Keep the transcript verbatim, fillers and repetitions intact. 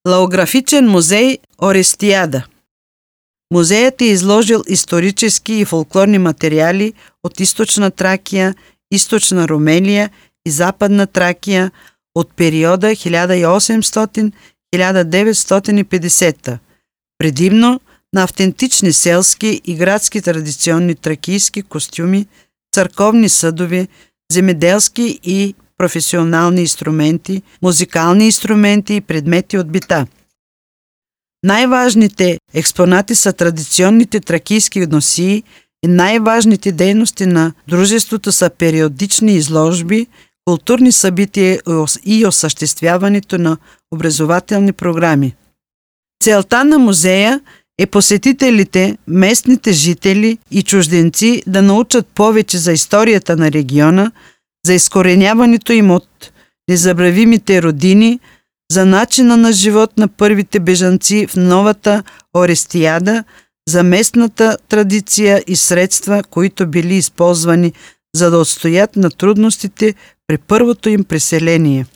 Лаографичен музеј Орестијада. Музејот е изложил исторически и фолклорни материјали од Источна Тракија, Источна Румелија и Западна Тракија од периода илјада и осемстотини до илјада деветстотини и педесета, предимно на автентични селски и градски традиционни тракијски костюми, црковни съдови, земеделски и професионални инструменти, музикални инструменти и предмети од бита. Најважните експонати са традиционните тракијски носии и најважните дејности на дружеството са периодични изложби, културни собитија и осуштествявањето на образователни програми. Целта на музеја е посетителите, местните жители и чужденци да научат повеќе за историјата на региона, за искоренјавањето им од незабравимите родини, за начина на живот на првите бежанци в новата Орестијада, за местната традиција и средства които били исползвани за да отстојат на трудностите при првото им преселение.